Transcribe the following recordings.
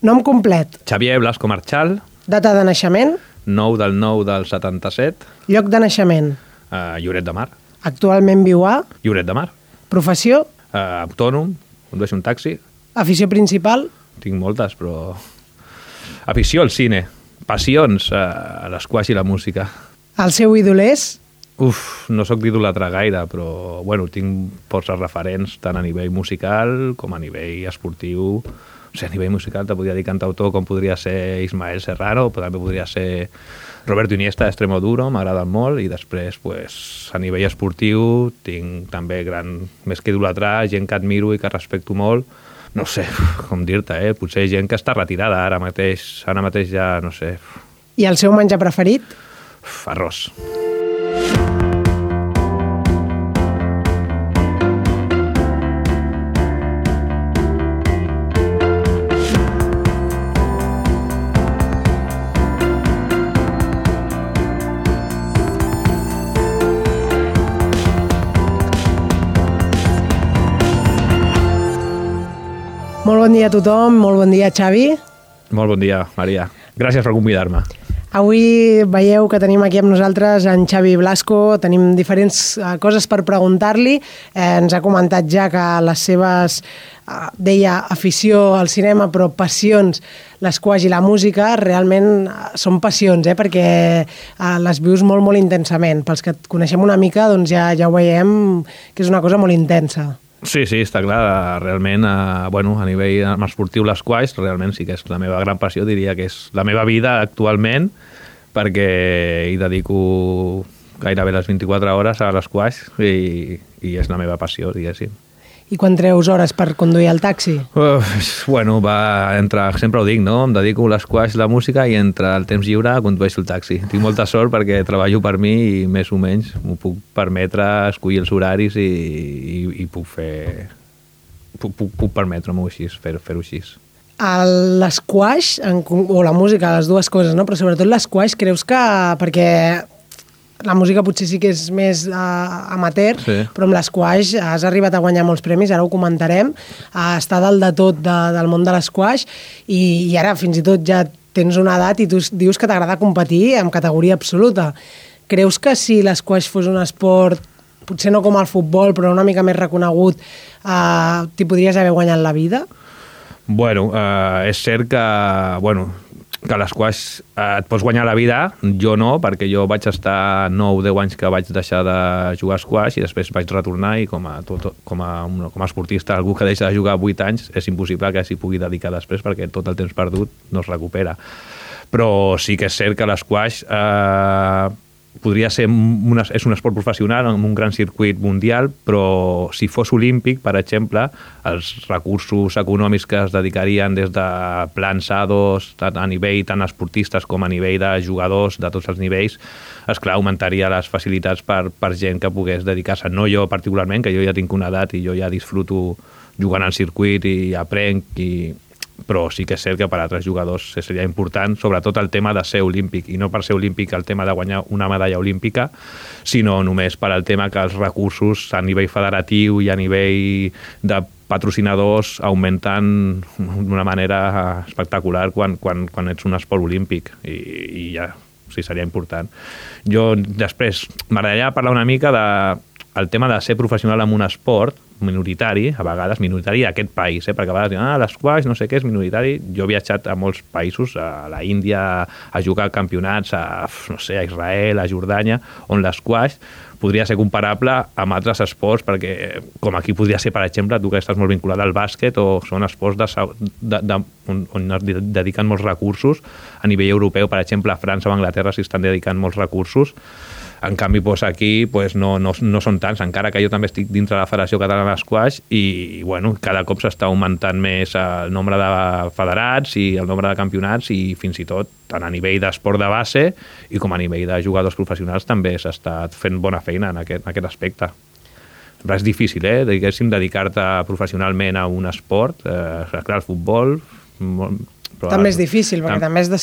Nom complet. Xavier Blasco Marchal. Data de naixement. 9/9/77. Lloc de naixement. Lloret de Mar. Actualment viu a. Lloret de Mar. Professió. Autònom, condueixo un taxi. Afició principal. Tinc moltes, però... Afició al cine. Passions a l'esquaix i la música. El seu ídol és? No sóc d'idolatrar gaire, però bueno, tinc forces referents tant a nivell musical com a nivell esportiu. O sigui, a nivell musical te podria dir cantautor com podria ser Ismael Serrano, però també podria ser Roberto Iniesta d'Extremoduro, m'agraden molt, i després pues, a nivell esportiu tinc també més que idolatrar, gent que admiro i que respecto molt. No sé com dir-te, potser gent que està retirada ara mateix ja, no sé. I el seu menjar preferit? Arròs. Molt bon dia a tothom, molt bon dia, Xavi. Molt bon dia, Maria. Gràcies per convidar-me. Avui veieu que tenim aquí amb nosaltres en Xavi Blasco, tenim diferents coses per preguntar-li. Ens ha comentat ja que les seves, deia, afició al cinema, però passions, l'esquaix i la música, realment són passions, perquè les vius molt, molt intensament. Pels que et coneixem una mica, doncs ja ho veiem que és una cosa molt intensa. Sí, està clar, realment, a nivell esportiu l'esquaix, realment sí que és la meva gran passió, diria que és la meva vida actualment, perquè hi dedico gairebé les 24 hores a l'esquaix i és la meva passió, diguéssim. I quan treus hores per conduir el taxi? Sempre ho dic, no? Em dedico a l'esquaix, la música, i entre el temps lliure condueixo el taxi. Tinc molta sort perquè treballo per mi i més o menys m'ho puc permetre, escollir els horaris i puc fer... Puc permetre-m'ho així, fer-ho així. L'esquaix, o la música, les dues coses, no? Però sobretot l'esquaix, creus que... Perquè la música potser sí que és més amateur, sí. Però amb l'esquaix has arribat a guanyar molts premis, ara ho comentarem, està dalt de tot del món de l'esquaix i ara fins i tot ja tens una edat i tu dius que t'agrada competir en categoria absoluta. Creus que si l'esquaix fos un esport, potser no com el futbol, però una mica més reconegut, t'hi podries haver guanyat la vida? És cert que l'esquaix et pots guanyar la vida, jo no, perquè jo vaig estar 9-10 anys que vaig deixar de jugar a esquaix i després vaig retornar i com a esportista, algú que deixa de jugar 8 anys, és impossible que s'hi pugui dedicar després perquè tot el temps perdut no es recupera. Però sí que és cert que l'esquaix podria ser és un esport professional amb un gran circuit mundial, però si fos olímpic, per exemple, els recursos econòmics que es dedicarien des de plans A2 a nivell tant esportistes com a nivell de jugadors de tots els nivells, esclar, augmentaria les facilitats per gent que pogués dedicar-se. No jo particularment, que jo ja tinc una edat i jo ja disfruto jugant al circuit i aprenc però sí que és cert que per a altres jugadors seria important, sobretot el tema de ser olímpic, i no per ser olímpic el tema de guanyar una medalla olímpica, sinó només per al tema que els recursos a nivell federatiu i a nivell de patrocinadors augmenten d'una manera espectacular quan ets un esport olímpic i ja, sí, seria important. Jo després m'agradaria parlar una mica del tema de ser professional en un esport minoritari, a vegades minoritari d'aquest país, perquè a vegades diuen, l'esquaix no sé què és minoritari. Jo he viatjat a molts països, a la Índia, a jugar a campionats, a Israel, a Jordània, on l'esquaix podria ser comparable amb altres esports, perquè com aquí podria ser, per exemple, tu que estàs molt vinculat al bàsquet, o són esports on es dediquen molts recursos. A nivell europeu, per exemple, a França o a Anglaterra s'hi estan dedicant molts recursos. En canvi, aquí no són tants, encara que jo també estic dintre de la Federació Catalana d'Esquaix i cada cop s'està augmentant més el nombre de federats i el nombre de campionats i fins i tot tant a nivell d'esport de base i com a nivell de jugadors professionals també s'està fent bona feina en aquest aspecte. Però és difícil, diguéssim, dedicar-te professionalment a un esport. Clar, el futbol... També és difícil, perquè també has de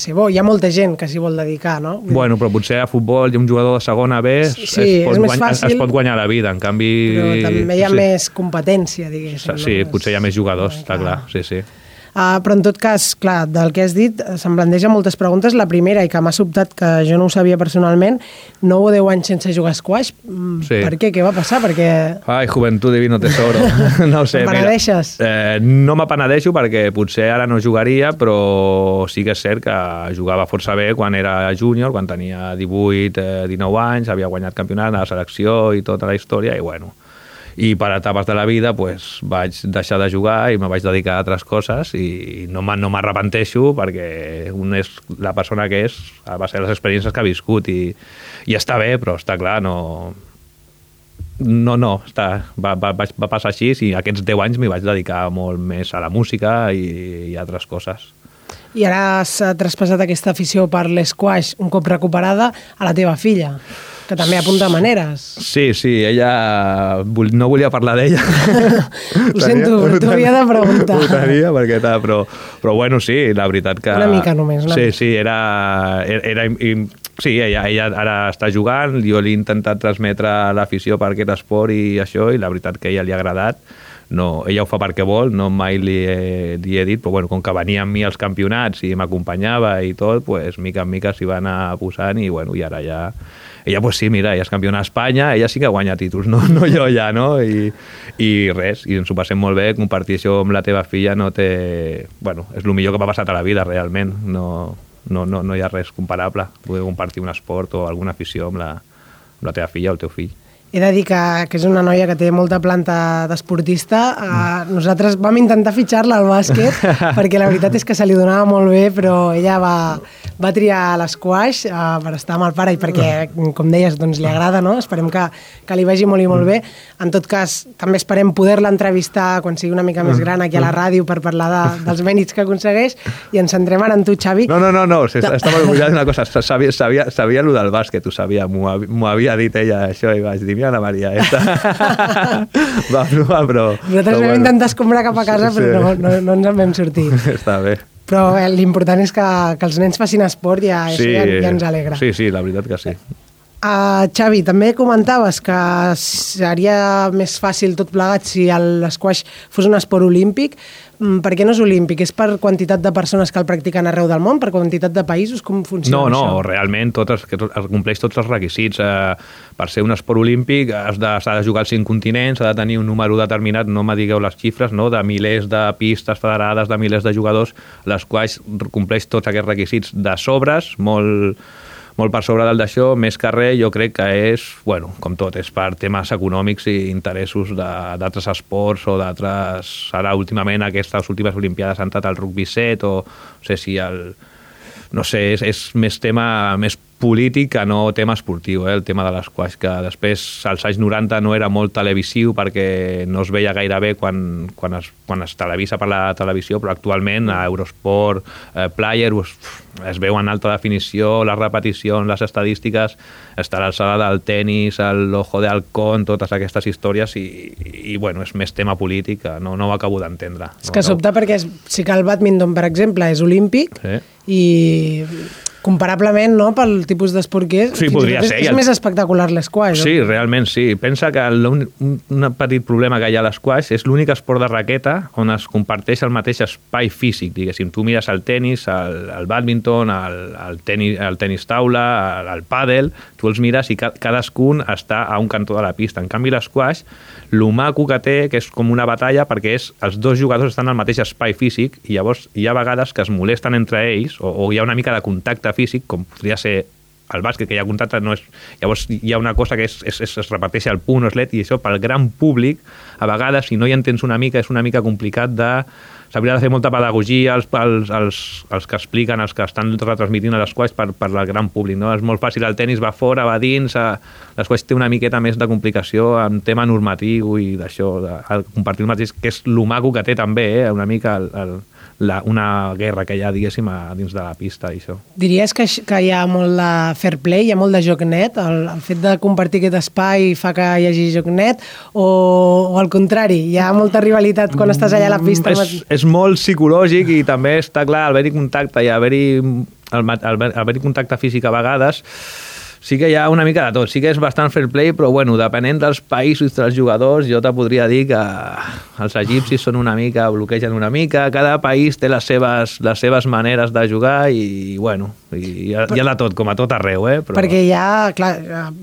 ser bo. Hi ha molta gent que s'hi vol dedicar, no? Però potser a futbol hi ha un jugador de segona B, es pot guanyar la vida, en canvi... Però també hi ha més competència, diguéssim. Sí, potser hi ha més jugadors, està clar, sí. Però en tot cas, clar, del que has dit, se'm plantegen moltes preguntes. La primera, i que m'ha sobtat, que jo no ho sabia personalment, 9 o 10 anys sense jugar a squash. Sí. Per què? Què va passar? Perquè... Ai, juventud divino tesoro. No ho sé. Penedeixes? No m'apenedeixo perquè potser ara no jugaria, però sí que és cert que jugava força bé quan era júnior, quan tenia 18, 19 anys, havia guanyat campionat a la selecció i tota la història, i bueno... I per etapes de la vida pues, vaig deixar de jugar i me vaig dedicar a altres coses i no m'arrepenteixo perquè un és la persona que és a base de les experiències que ha viscut i està bé, però està clar, va passar així i aquests 10 anys m'hi vaig dedicar molt més a la música i a altres coses. I ara has traspassat aquesta afició per l'esquash un cop recuperada a la teva filla, que també apunta maneres. Sí, ella... No volia parlar d'ella. Ho sento, t'ho havia de preguntar. Ho tenia, perquè però bueno, sí, la veritat que... Una mica només, no? Sí, sí, ella ara està jugant, jo li he intentat transmetre l'afició per aquest esport i això, i la veritat que a ella li ha agradat. No, ella ho fa perquè vol, no mai li he dit, però bueno, com que venia amb mi als campionats i m'acompanyava i tot, pues, mica en mica s'hi va anar posant i bueno, i ara ja... Ella, pues sí, mira, ella és campiona d'Espanya, ella sí que guanya títols, no jo ja, no? I res, i ens ho passem molt bé, compartir això amb la teva filla no té... Bueno, és el millor que m'ha passat a la vida, realment, no hi ha res comparable, poder compartir un esport o alguna afició amb la teva filla o el teu fill. He de dir que és una noia que té molta planta d'esportista. Nosaltres vam intentar fitxar-la al bàsquet perquè la veritat és que se li donava molt bé, però ella va triar l'esquash per estar amb el pare i perquè, com deies, doncs li agrada, no? Esperem que li vagi molt i molt bé. En tot cas, també esperem poder-la entrevistar quan sigui una mica més gran aquí a la ràdio per parlar dels mèrits que aconsegueix i ens centrem ara en tu, Xavi. No, estava orgullós d'una cosa. Sabia el del bàsquet, ho sabia, m'ho havia dit ella això i vaig dir, mira la Maria, va provar, però... Nosaltres vam intentar escombrar cap a casa, però no ens en vam sortir. Està bé. Però l'important és que els nens facin esport i ja ens alegra. Sí, la veritat que sí. Xavi, també comentaves que seria més fàcil tot plegat si l'esquash fos un esport olímpic. Per què no és olímpic? És per quantitat de persones que el practiquen arreu del món? Per quantitat de països? Com funciona això? No, realment compleix tots els requisits. Per ser un esport olímpic s'ha de jugar als 5 continents, s'ha de tenir un número determinat, no me digueu les xifres, no? De milers de pistes federades, de milers de jugadors, l'esquash compleix tots aquests requisits de sobres, molt per sobre del d'això, més que res, jo crec que és, bueno, com tot, és per temes econòmics i interessos d'altres esports o d'altres... Ara, últimament, aquestes últimes Olimpiades han estat el rugby 7 o no sé si és més tema més polític que no tema esportiu, el tema de l'esquash, que després als anys 90 no era molt televisiu perquè no es veia gaire bé quan es televisa per la televisió, però actualment a Eurosport, Player, es veu en alta definició, les repeticions, les estadístiques, està a l'alçada del tenis, l'ojo de halcón, totes aquestes històries i bueno, és més tema polític, no ho acabo d'entendre. És que sobta perquè sí que el bàdminton, per exemple, és olímpic i comparablement, no?, pel tipus d'esport que és. Sí, podria ser. És més espectacular l'esquash. Sí, realment sí. Pensa que un petit problema que hi ha a l'esquash és l'únic esport de raqueta on es comparteix el mateix espai físic, diguéssim. Tu mires el tenis, el bàdminton, el tenis taula, el pàdel, tu els mires i cadascun està a un cantó de la pista. En canvi, l'esquash, lo maco que té, que és com una batalla, perquè els dos jugadors estan al mateix espai físic i llavors hi ha vegades que es molesten entre ells o hi ha una mica de contacte físic, com podria ser el bàsquet, que hi ha contacte, llavors hi ha una cosa que es repeteix el punt o eslet, i això pel gran públic, a vegades, si no hi entens una mica, és una mica complicat s'hauria de fer molta pedagogia els que expliquen, els que estan retransmitint l'esquash per al gran públic, no? És molt fàcil, el tenis va fora, va dins, l'esquash té una miqueta més de complicació en tema normatiu i d'això, compartir el mateix, que és lo maco que té també, una mica una guerra que hi ha, diguéssim, dins de la pista i això. Diries que hi ha molt de fair play, hi ha molt de joc net? El fet de compartir aquest espai fa que hi hagi joc net o al contrari, hi ha molta rivalitat quan estàs allà a la pista? És molt psicològic i també està clar, al haver-hi contacte i haver-hi contacte físic a vegades, Sí que hi ha una mica de tot, sí que és bastant fair play, però bueno, depenent dels països i dels jugadors, jo te podria dir que els egipcis són una mica, bloquegen una mica, cada país té les seves maneres de jugar i bueno, hi ha de tot, com a tot arreu, Però... Perquè hi ha, clar,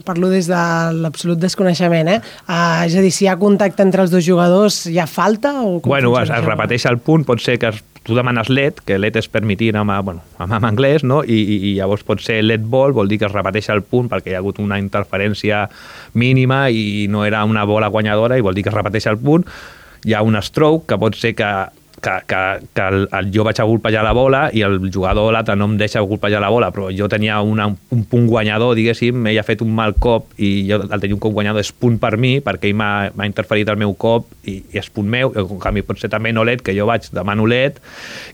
parlo des de l'absolut desconeixement, és a dir, si hi ha contacte entre els dos jugadors, hi ha falta? O bueno, es repeteix el punt, pot ser que tu demanes LED, que LED és permitir en anglès, no? I llavors pot ser LED ball, vol dir que es repeteix el punt perquè hi ha hagut una interferència mínima i no era una bola guanyadora i vol dir que es repeteix el punt. Hi ha un stroke, que pot ser que jo vaig a golpejar la bola i el jugador l'altre no em deixa golpejar la bola, però jo tenia un punt guanyador, diguéssim, ell ha fet un mal cop i jo el tenia un cop guanyador, és punt per mi, perquè ell m'ha interferit el meu cop i és punt meu. En canvi pot ser també no LED, que jo demano LED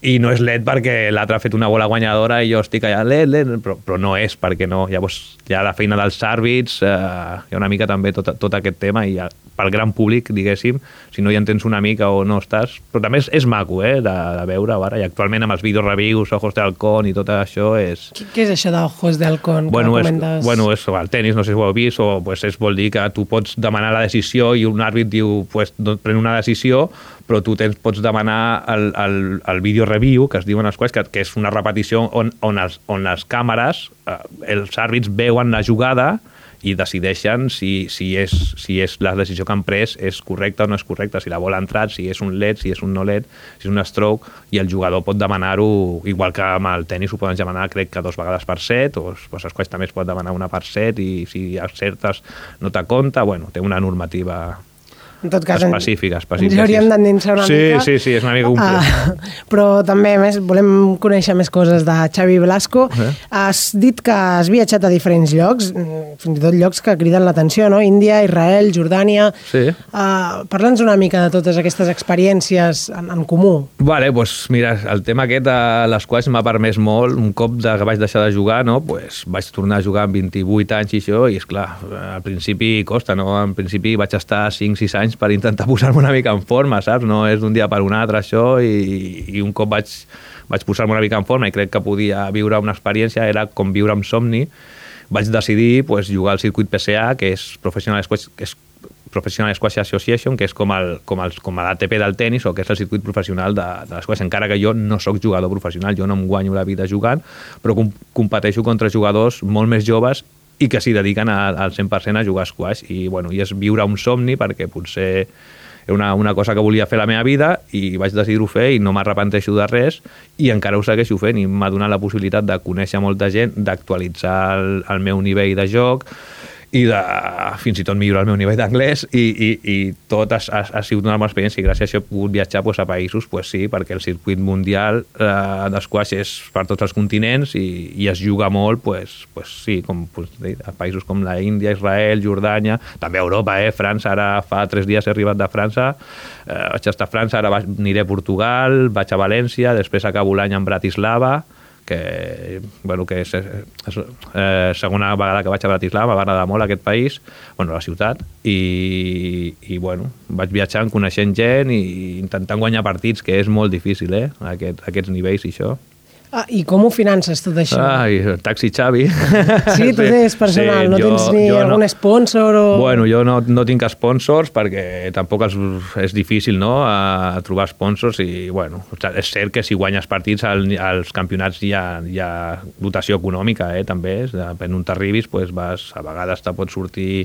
i no és LED perquè l'altre ha fet una bola guanyadora i jo estic allà, LED, però no és, perquè no. Llavors hi ha la feina dels àrbits, hi ha una mica també tot aquest tema i pel gran públic, diguéssim, si no hi entens una mica o no estàs, però també és maco, de veure ara, i actualment amb els vídeos reviews, Ojos de Halcón i tot això és... Què és això d'Ojos de Halcón? És el tenis, no sé si ho heu vist, o vol dir que tu pots demanar la decisió i un àrbit diu, pren una decisió, però tu pots demanar el vídeo review, que es diuen els quals, que és una repetició on les càmeres, els àrbits veuen la jugada i decideixen si és la decisió que han pres és correcta o no és correcta, si la bola ha entrat, si és un LED, si és un no LED, si és un stroke, i el jugador pot demanar-ho, igual que amb el tenis ho poden demanar, crec que 2 vegades per set, o els quals també es pot demanar una per set, i si acertes no te compta, té una normativa... En tot cas, específica. Ens hauríem d'endinsar una mica. Sí, és una mica complex. Però també, més, volem conèixer més coses de Xavi Blasco. Has dit que has viatjat a diferents llocs, fins i tot llocs que criden l'atenció, no? Índia, Israel, Jordània... Sí. Parla'ns una mica de totes aquestes experiències en comú. Vale, doncs mira, el tema aquest de les quals m'ha permès molt, un cop que vaig deixar de jugar, no? Vaig tornar a jugar amb 28 anys i això, i esclar, al principi costa, no? Al principi vaig estar 5-6 anys per intentar posar-me una mica en forma, saps? No és d'un dia per un altre això, i un cop vaig posar-me una mica en forma i crec que podia viure una experiència, era com viure amb somni. Vaig decidir jugar al circuit PSA, que és Professional Squash Association, que és com l'ATP del tenis, o que és el circuit professional de l'esquash, encara que jo no sóc jugador professional, jo no em guanyo la vida jugant, però competeixo contra jugadors molt més joves i que s'hi dediquen al 100% a jugar a squash, i és viure un somni, perquè potser era una cosa que volia fer a la meva vida i vaig decidir-ho fer i no m'arrepenteixo de res, i encara ho segueixo fent, i m'ha donat la possibilitat de conèixer molta gent, d'actualitzar el meu nivell de joc i de fins i tot millorar el meu nivell d'anglès, i tot ha sigut una bona experiència, i gràcies a això he pogut viatjar a països, sí, perquè el circuit mundial d'esquaix és per tots els continents i es juga molt, sí, a països com la Índia, Israel, Jordània, també a Europa, França, ara fa 3 dies he arribat de França, vaig estar a França, ara aniré a Portugal, vaig a València, després acabo l'any en Bratislava, que és segona vegada que vaig a Bratislava, m'agrada molt aquest país, la ciutat, i vaig viatjant, coneixent gent i intentant guanyar partits, que és molt difícil, aquests nivells i això. I com ho finances tot això? Taxi Xavi. Sí, tu tens personal, sí, no tens ni algun sponsor? Jo no tinc sponsors perquè tampoc és difícil, no?, a trobar sponsors, i és cert que si guanyes partits als campionats hi ha dotació econòmica, també, depèn on t'arribis, a vegades te pot sortir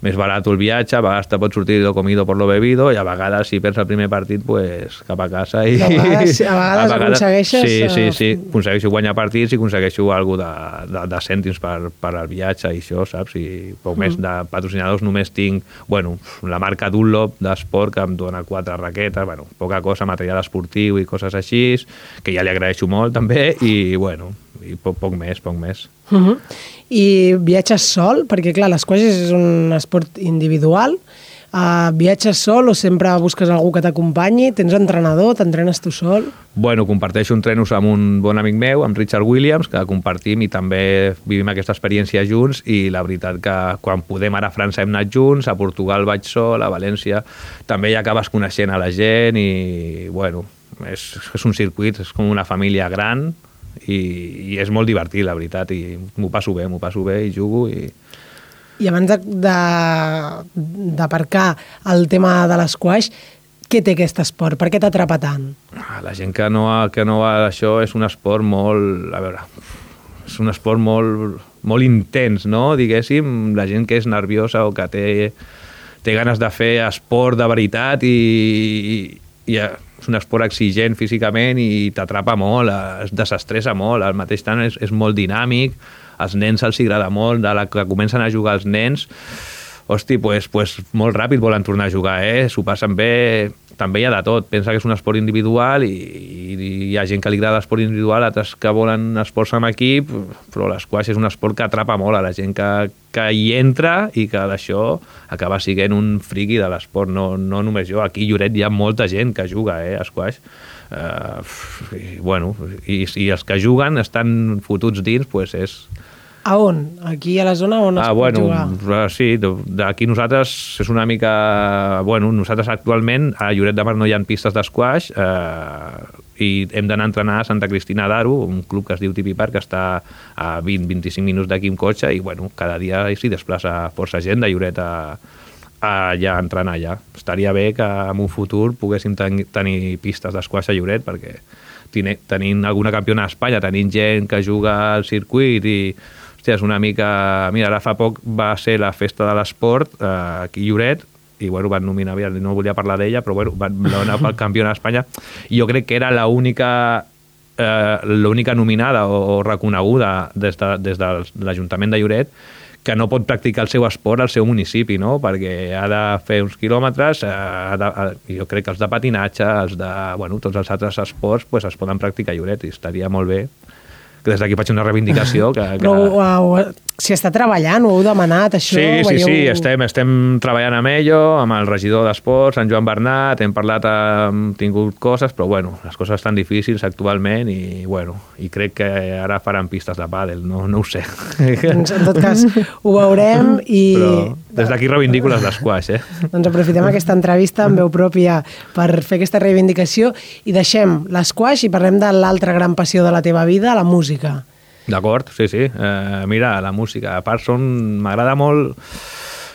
més barat el viatge, a vegades te pot sortir lo comido por lo bebido, i a vegades si perds el primer partit, cap a casa. I a vegades aconsegueixes... Sí, aconsegueixo guanyar partits i aconsegueixo alguna de cèntims per al viatge i això, saps? I poc més de patrocinadors només tinc, la marca Dunlop d'esport, que em dona 4 raquetes, poca cosa, material esportiu i coses així, que ja li agraeixo molt també, i poc més. I viatges sol? Perquè, clar, l'esquaix és un esport individual. Viatges sol o sempre busques algú que t'acompanyi? Tens entrenador? T'entrenes tu sol? Comparteixo entrenos amb un bon amic meu, amb Richard Williams, que compartim i també vivim aquesta experiència junts, i la veritat que quan podem, ara a França hem anat junts, a Portugal vaig sol, a València també hi acabes coneixent a la gent, i és un circuit, és com una família gran, i és molt divertit, la veritat, i m'ho passo bé i jugo i... I abans d'aparcar el tema de l'esquaix, què té aquest esport? Per què t'atrapa tant? La gent que no va d'això és un esport molt... A veure, és un esport molt intens, no? Diguéssim, la gent que és nerviosa o que té ganes de fer esport de veritat i és un esport exigent físicament i t'atrapa molt, es desestressa molt, al mateix temps és molt dinàmic, als nens els agrada molt, de la que comencen a jugar els nens, hosti, pues molt ràpid volen tornar a jugar, s'ho passen bé, també hi ha de tot, pensa que és un esport individual i hi ha gent que li agrada l'esport individual, altres que volen esports en equip, però l'esquaix és un esport que atrapa molt a la gent que hi entra i que d'això acaba sent un friqui de l'esport, no només jo, aquí a Lloret hi ha molta gent que juga a esquaix, i els que juguen estan fotuts dins, doncs és... A on? Aquí a la zona on es pot jugar? Sí, d'aquí nosaltres és una mica... nosaltres actualment a Lloret de Mar no hi ha pistes d'esquaix i hem d'anar a entrenar a Santa Cristina d'Aro, un club que es diu Tipi Park, que està a 20-25 minuts d'aquí en cotxe i cada dia s'hi desplaça força gent de Lloret allà a entrenar allà. Estaria bé que en un futur poguéssim tenir pistes d'esquaix a Lloret perquè tenint alguna campiona a Espanya, tenint gent que juga al circuit i és una mica... Mira, ara fa poc va ser la festa de l'esport aquí a Lloret i van nominar, no volia parlar d'ella, però van donar pel campió d'Espanya i jo crec que era l'única nominada o reconeguda des de l'Ajuntament de Lloret que no pot practicar el seu esport al seu municipi, no? Perquè ha de fer uns quilòmetres, jo crec que els de patinatge, tots els altres esports es poden practicar a Lloret i estaria molt bé que des d'aquí faig una reivindicació Però si està treballant, ho heu demanat, això? Sí, estem treballant amb ello, amb el regidor d'Esports, en Joan Bernat, hem parlat, hem tingut coses, però les coses estan difícils actualment i crec que ara faran pistes de pàdel, no ho sé. Doncs en tot cas ho veurem i... Però des d'aquí reivindico les d'esquaix, Doncs aprofitem aquesta entrevista amb veu pròpia per fer aquesta reivindicació i deixem l'esquaix i parlem de l'altra gran passió de la teva vida, la música. D'acord, sí. Mira, la música. A part, m'agrada molt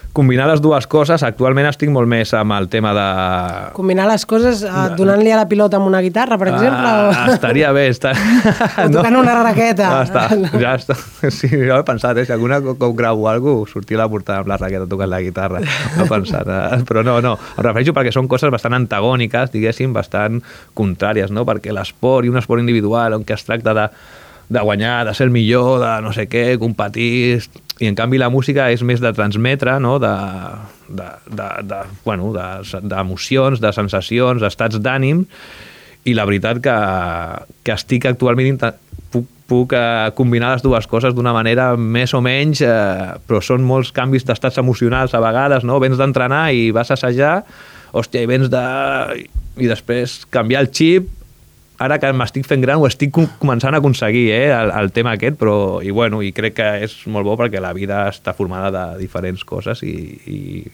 combinar les dues coses. Actualment estic molt més amb el tema de... Combinar les coses donant-li a la pilota amb una guitarra, per exemple? Estaria bé. O tocant una raqueta. Ja està. Sí, jo he pensat, si alguna cop gravo alguna cosa, sortir a la portada amb la raqueta tocant la guitarra. No he pensat. Però no. Em refereixo perquè són coses bastant antagòniques, diguéssim, bastant contràries, no? Perquè l'esport i un esport individual on es tracta de guanyar, de ser el millor, de no sé què, competir, i en canvi la música és més de transmetre, no? D'emocions, de sensacions, d'estats d'ànim, i la veritat que estic actualment puc combinar les dues coses d'una manera més o menys, però són molts canvis d'estats emocionals a vegades, no? Vens d'entrenar i vas a assajar, hòstia, i després canviar el xip. Ara que m'estic fent gran ho estic començant a aconseguir, el tema aquest, i crec que és molt bo perquè la vida està formada de diferents coses i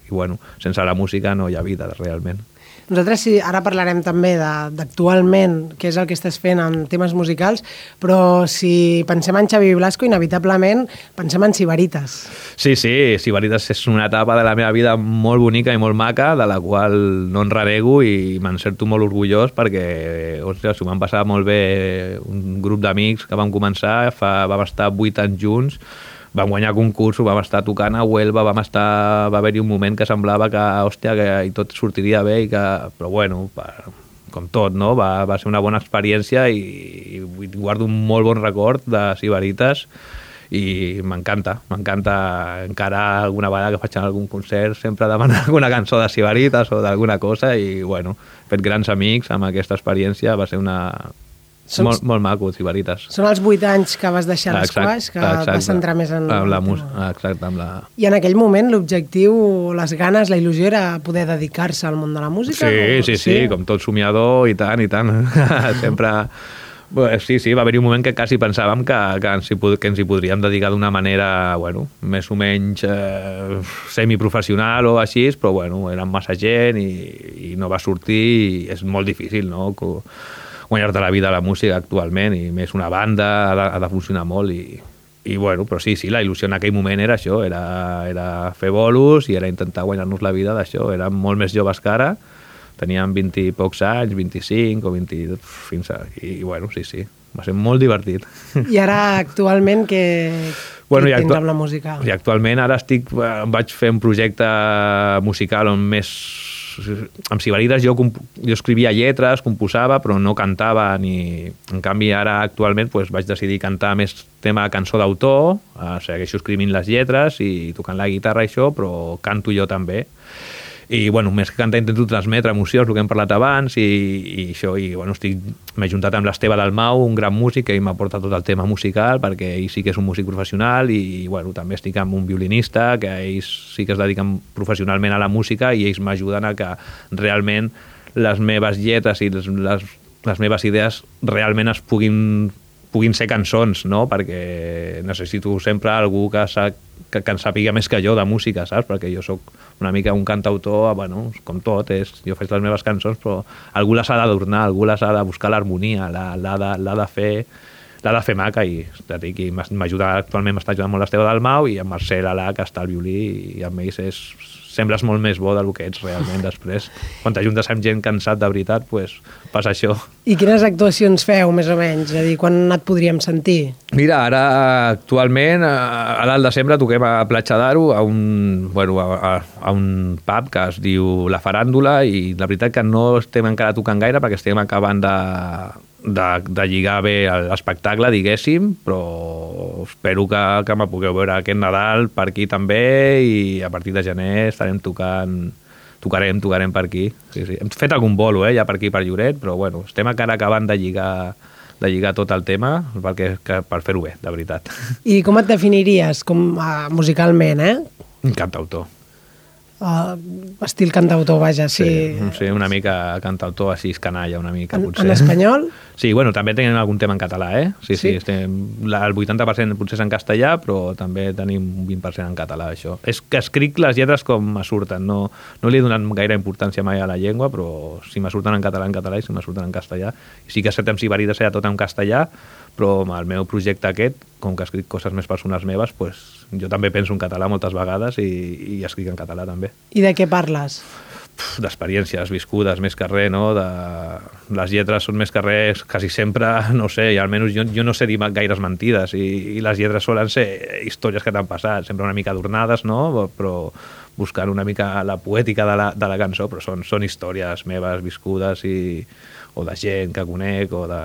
sense la música no hi ha vida realment. Nosaltres ara parlarem també d'actualment, què és el que estàs fent en temes musicals, però si pensem en Xavi Blasco, inevitablement pensem en Sibaritas. Sí, Sibaritas és una etapa de la meva vida molt bonica i molt maca, de la qual no en renego i me'n sento molt orgullós perquè s'ho van passar molt bé un grup d'amics que vam començar, vam estar 8 anys junts, vam guanyar concursos, vam estar tocant a Huelva, va haver-hi un moment que semblava que tot sortiria bé, però com tot, no? Va ser una bona experiència i guardo un molt bon record de Sibaritas i m'encanta encara alguna vegada que faig algun concert sempre demanar alguna cançó de Sibaritas o d'alguna cosa i he fet grans amics amb aquesta experiència, va ser molt maco, Sibaritas. Són els 8 anys que vas deixar l'esquaix, que vas centrar més en... Amb la música, exacte. I en aquell moment l'objectiu, les ganes, la il·lusió era poder dedicar-se al món de la música? Sí, com tot somiador, i tant. Sempre... Sí, va haver-hi un moment que quasi pensàvem que ens hi podríem dedicar d'una manera, més o menys semiprofessional o així, però érem massa gent i no va sortir i és molt difícil, no?, guanyar-te la vida a la música actualment, i més una banda ha de funcionar molt, i bueno, però sí, la il·lusió en aquell moment era això, era fer bolos i era intentar guanyar-nos la vida d'això. Érem molt més joves que ara, teníem 20 i pocs anys, 25 o 20, fins a... I bueno, sí, va ser molt divertit. I ara, actualment, què tens amb la música? I actualment ara vaig fer un projecte musical on més... Amb Sibarides jo escrivia lletres, composava, però no cantava ni... En canvi, ara actualment vaig decidir cantar més tema de cançó d'autor, segueixo escrivint les lletres i tocant la guitarra i això, però canto jo també. I, bueno, més que cantar intento transmetre emocions, el que hem parlat abans, i això, i, bueno, m'he juntat amb l'Esteve Dalmau, un gran músic, que ell m'aporta tot el tema musical, perquè ell sí que és un músic professional, i, bueno, també estic amb un violinista, que ells sí que es dediquen professionalment a la música, i ells m'ajuden a que realment les meves lletres i les meves idees realment puguin ser cançons, no? Perquè necessito sempre algú que en sàpiga més que jo de música, saps? Perquè jo sóc una mica un cantautor, bueno, com tot, jo faig les meves cançons, però algú les ha d'adornar, algú les ha de buscar l'harmonia, l'ha de fer maca, i m'ajuda, actualment m'està ajudant molt l'Esteve Dalmau, i en Marcel Alà, que està al violí, i amb ells sembles molt més bo del que ets realment després. Quan t'ajuntes amb gent cansat de veritat, passa això. I quines actuacions feu, més o menys? És a dir, quan et podríem sentir? Mira, ara, actualment, ara al desembre toquem a Platja d'Aro, a un pub que es diu La Faràndula, i la veritat que no estem encara tocant gaire perquè estem acabant de lligar bé l'espectacle, diguéssim, però espero que me pugueu veure aquest Nadal per aquí també, i a partir de gener estarem tocarem per aquí. Sí. Hem fet algun bolo, ja per aquí, per Lloret, però bueno, estem encara acabant de lligar tot el tema per fer-ho bé, de veritat. I com et definiries musicalment, Cantautor. Estil cantautor, vaja, sí. Sí, una mica cantautor així, canalla, una mica, potser. En espanyol? Sí, bueno, també tenim algun tema en català, Sí. El 80% potser és en castellà, però també tenim un 20% en català, això. És que escric les lletres com me surten, no li he donat gaire importància mai a la llengua, però si me surten en català, i si me surten en castellà. I sí que és cert, amb Sibarides era tot en castellà, però amb el meu projecte aquest, com que escric coses més personals meves, jo també penso en català moltes vegades i escric en català també. I de què parles? D'experiències viscudes, més que res, no? Les lletres són més que res, quasi sempre, no sé, i almenys jo no sé dir gaires mentides, i les lletres solen ser històries que t'han passat, sempre una mica adornades, no? Però buscant una mica la poètica de la cançó, però són històries meves viscudes o de gent que conec, o de...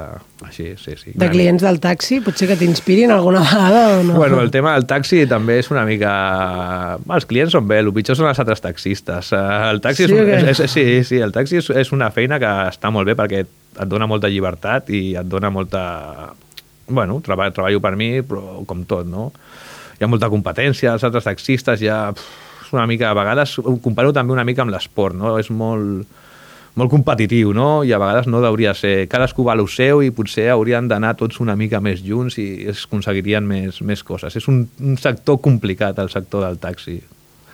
Així, sí. De clients del taxi? Potser que t'inspirin alguna vegada o no? Bueno, el tema del taxi també és una mica... Els clients són bé, el pitjor són els altres taxistes. El taxi sí, el taxi és una feina que està molt bé perquè et dona molta llibertat i et dona molta... Bueno, treballo per mi, però com tot, no? Hi ha molta competència, els altres taxistes ja... És una mica... A vegades ho comparo també una mica amb l'esport, no? És molt competitiu, no? I a vegades no hauria de ser... Cadascú va a lo seu i potser haurien d'anar tots una mica més junts i es aconseguirien més coses. És un sector complicat, el sector del taxi,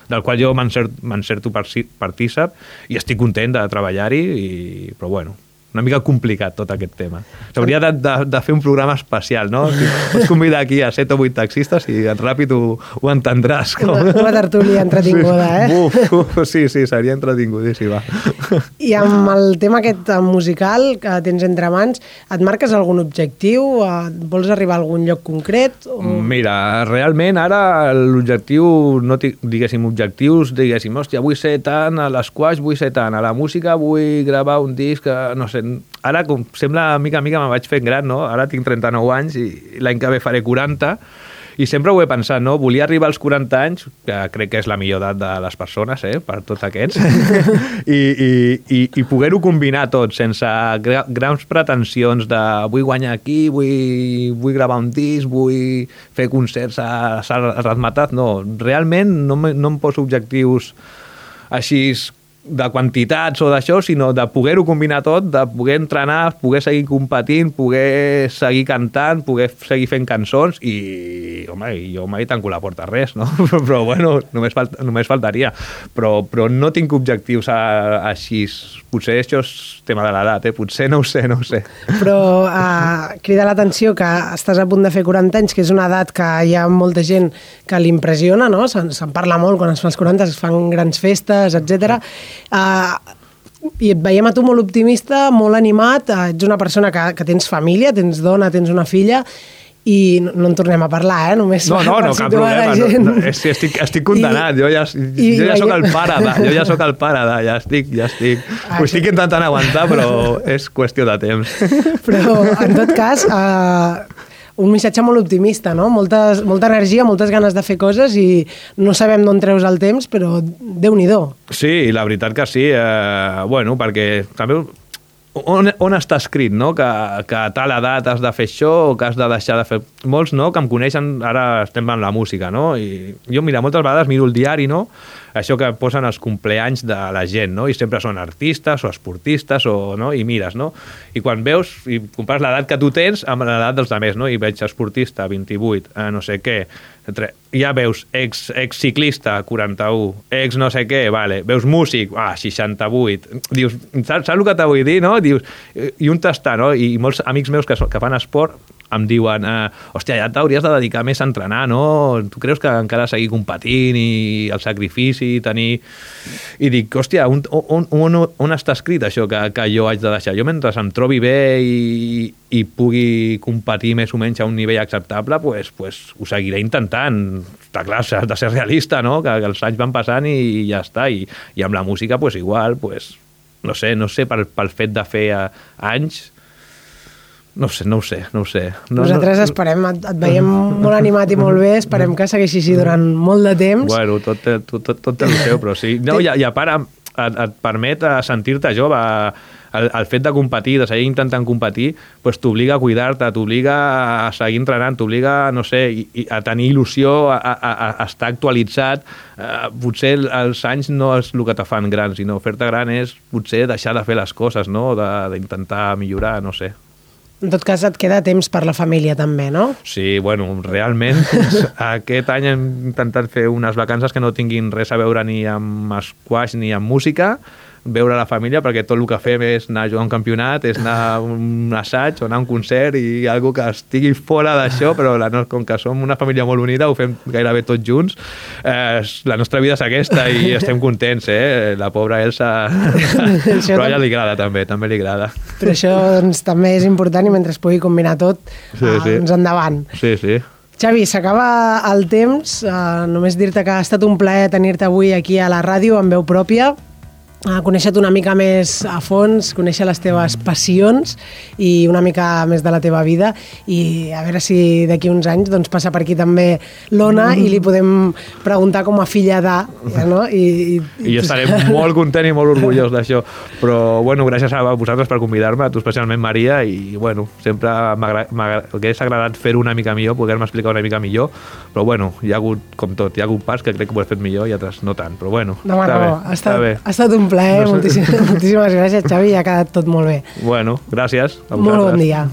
del qual jo m'encerto partícip i estic content de treballar-hi, però bueno, una mica complicat tot aquest tema. S'hauria de fer un programa especial, no? Pots convidar aquí a 7 o 8 taxistes i ràpid ho entendràs. Una tertúlia entretinguda, Sí, seria entretingudíssima. I amb el tema aquest musical que tens entre mans, et marques algun objectiu? Vols arribar a algun lloc concret? Mira, realment ara l'objectiu, no diguéssim objectius, diguéssim, hòstia, vull ser tant a l'esquaix, vull ser tant a la música, vull gravar un disc, no sé, ara com sembla mica me vaig fent gran, no? Ara tinc 39 anys i l'any que ve faré 40 i sempre ho he pensat, no? Volia arribar als 40 anys, que crec que és la millor edat de les persones, per tots aquests, i poder-ho combinar tot sense grans pretensions de vull guanyar aquí, vull gravar un disc, vull fer concerts a Ratmatat, no. Realment no em poso objectius així de quantitats o d'això, sinó de poder-ho combinar tot, de poder entrenar, poder seguir competint, poder seguir cantant, poder seguir fent cançons i, home, jo mai tanco la porta a res, no? Però, bueno, només faltaria. Però no tinc objectius així. Potser això és tema de l'edat, potser no ho sé. Però crida l'atenció que estàs a punt de fer 40 anys, que és una edat que hi ha molta gent que l'impressiona, no? Se'n parla molt quan es fan els 40, es fan grans festes, etc. I et veiem a tu molt optimista, molt animat, ets una persona que tens família, tens dona, tens una filla, i no en tornem a parlar, només no, cap problema. Estic condenat, jo ja soc el pare, ja estic. Ho estic intentant aguantar, però és qüestió de temps. Però, en tot cas, un missatge molt optimista, no? Molta energia, moltes ganes de fer coses i no sabem d'on treus el temps, però Déu-n'hi-do. Sí, la veritat que sí. Bueno, perquè també on està escrit, no? Que a tal edat has de fer això o que has de deixar de fer... Molts, no?, que em coneixen, ara estem en la música, no? I jo, mira, moltes vegades miro el diari, no?, això que posen els compleanys de la gent, no? I sempre són artistes o esportistes, no? I mires, no? I quan veus i compares l'edat que tu tens amb l'edat dels altres, no? I veig esportista, 28, no sé què, ja veus ex-ciclista, 41, ex no sé què, vale, veus músic, 68, dius, saps el que t'ho vull dir, no? Dius, i un tastar, no? I molts amics meus que fan esport em diuen, hòstia, ja t'hauries de dedicar més a entrenar, no? Tu creus que encara seguir competint i el sacrifici i tenir... I dic, hòstia, on està escrit això que jo haig de deixar? Jo mentre em trobi bé i pugui competir més o menys a un nivell acceptable, pues ho seguiré intentant. Està clar, has de ser realista, no? Que els anys van passant i ja està. I amb la música, pues igual, pues, no sé, pel fet de fer anys... No ho sé. Nosaltres esperem, et veiem molt animat i molt bé, esperem que segueixi així durant molt de temps. Bueno, tot el seu, però sí. No, i a part et permet sentir-te jove. El fet de competir, de seguir intentant competir, pues t'obliga a cuidar-te, t'obliga a seguir entrenant, t'obliga, no sé, a tenir il·lusió, a estar actualitzat. Potser els anys no és el que te fan gran, sinó fer-te gran és potser deixar de fer les coses, no? D'intentar millorar, no sé. En tot cas, et queda temps per la família també, no? Sí, bueno, realment aquest any hem intentat fer unes vacances que no tinguin res a veure ni amb squash ni amb música, veure la família, perquè tot el que fem és anar a jugar un campionat, és anar a un assaig o anar a un concert i algo que estigui fora d'això, però com que som una família molt unida, ho fem gairebé tots junts. La nostra vida és aquesta i estem contents, La pobra Elsa... Però a ella li agrada també li agrada. Però això doncs, també és important i mentre es pugui combinar tot, doncs endavant. Sí. Xavi, s'acaba el temps. Només dir-te que ha estat un plaer tenir-te avui aquí a la ràdio amb veu pròpia, conèixer-te una mica més a fons, conèixer les teves passions i una mica més de la teva vida, i a veure si d'aquí uns anys doncs, passa per aquí també l'Ona i li podem preguntar com a filla de, no? I jo estaré molt content i molt orgullós d'això, però bueno, gràcies a vosaltres per convidar-me, a tu especialment, Maria, i bueno, sempre m'hagués agradat fer-ho una mica millor, poder-me explicar una mica millor, però bueno, hi ha hagut, com tot, hi ha hagut parts que crec que ho he fet millor i altres no tant, però bueno, està bé. Ha estat un plaer, moltíssimes gràcies, Xavi, ha quedat tot molt bé. Bueno, gràcies. Molt bon dia.